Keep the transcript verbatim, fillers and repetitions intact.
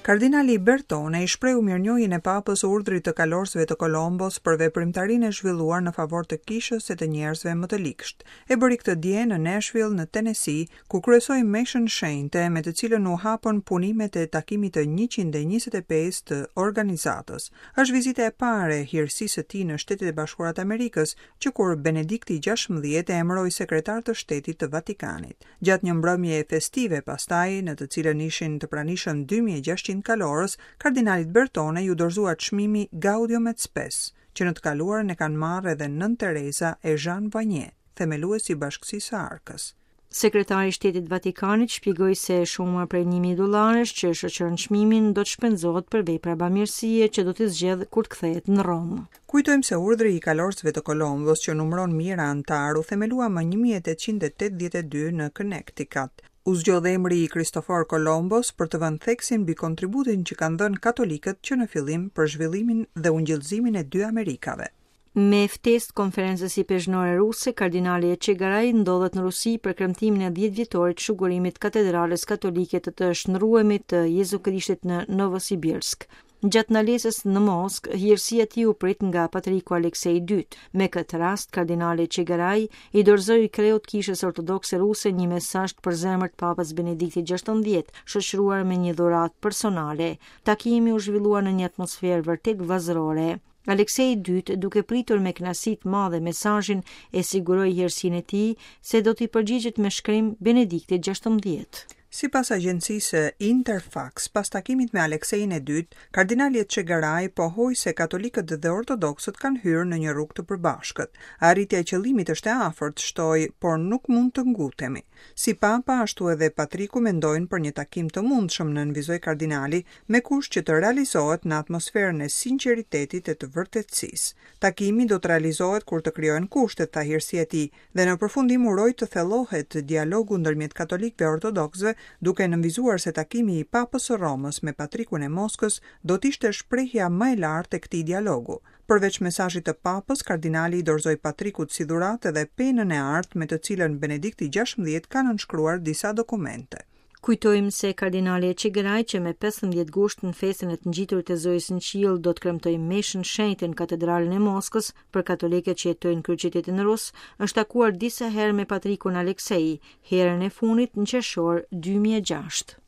Kardinali Bertone i shprehu mirënjohjen e Papës Urdhrit të Kalorësve të Kolombos për veprimtarinë e zhvilluar në favor të kishës e të njerëzve më të ligsht. E bëri këtë dje në Nashville, në Tennessee, ku kryesoi meshën shenjte me të cilën u hapën punimet e takimit të njëqind e njëzet e pesë të organizatës. Është vizita e parë e hirësisë së tij në Shtetet e Bashkuara të Amerikës, që kur Benedikti gjashtëmbëdhjetë e emëroi sekretar të shtetit të Vatikanit. Gjatë një mbrëmje festive pastaj, në të cilën ishin të pranishëm dy mijë e gjashtëqind kalorës, kardinalit Bertone iu dorëzua çmimi Gaudium et Spes, që në të kaluarën e kanë marrë edhe Nënë Teresa e Jean Vanier, themeluesi i Bashkësisë së Arkës. Sekretari i Shtetit Vatikanit shpjegoi se shuma prej një mijë dollarësh që shoqëron çmimin do të shpenzohet për vepra bamirësie që do të zgjedh kur të kthehet në Romë. Kujtojmë se Urdhri i Kalorësve të Kolombos, që numëron mijëra anëtarë, u themelua më një mijë e tetëqind e tetëdhjetë e dy në Connecticut. U zgjodh emri i Kristofor Kolombos për të vënë theksin mbi kontributin që kanë dhënë katolikët që në fillim për zhvillimin dhe ungjillëzimin e dy Amerikave. Me ftesë të Konferencës Ipeshkvnore Ruse, kardinali Etchegaray ndodhet në Rusi për kremtimin e dhjetë vjetorit të shugurimit Katedralës Katolike të të Shndërruemit të Jezu Krishtit në Novosibirsk. Gjatë ndalesës në Moskë, hirësia e tij u prit nga Patriku Aleksej i Dytë. Me këtë rast, kardinali Etchegaray i dorëzoi kreut Kishës Ortodokse Ruse një mesazh të përzemërt Papës Benediktit gjashtëmbëdhjetë, shoqëruar me një dhuratë personale. Takimi u zhvillua në një atmosferë vërtet vëllazërore. Aleksej i Dytë, duke pritur me kënaqësi të madhe mesazhin, e siguroi hirësinë e tij se do t'i përgjigjet me shkrim Benediktit gjashtëmbëdhjetë. Sipas agjencisë Interfax, pas takimit me Aleksejin e Dytë, kardinali Etchegaray pohoi se katolikët dhe ortodoksët kanë hyrë në një rrugë të përbashkët. Arritja e qëllimit është e afërt, shtoi, por nuk mund të ngutemi. Si Papa, ashtu edhe Patriku mendojnë për një takim të mundshëm, nënvizoi kardinali, me kusht që të realizohet në atmosferën e sinqeritetit e të vërtetësisë. Takimi do të realizohet kur të krijohen kushtet, tha hirësia e tij, dhe në përfundim uroi të thellohet dialogu ndërmjet katolikëve e ortodoksëve, duke nënvizuar se takimi i Papës së Romës me Patrikun e Moskës do të ishte shprehja më e lartë e këtij dialogu. Përveç mesazhit të Papës, kardinali i dorëzoi Patrikut si dhuratë edhe penën e artë me të cilën Benedikti gjashtëmbëdhjetë ka nënshkruar disa dokumente. Kujtojmë se kardinali Etchegaray, që me pesëmbëdhjetë gusht në festën e të Ngjiturit të Zojës në Qiell do të kremtojë meshën shenjte në katedralën e Moskës për katolikët që jetojnë në kryeqytetin rus, është takuar disa herë me Patrikun Aleksej, herën e fundit në qershor dy mijë e gjashtë.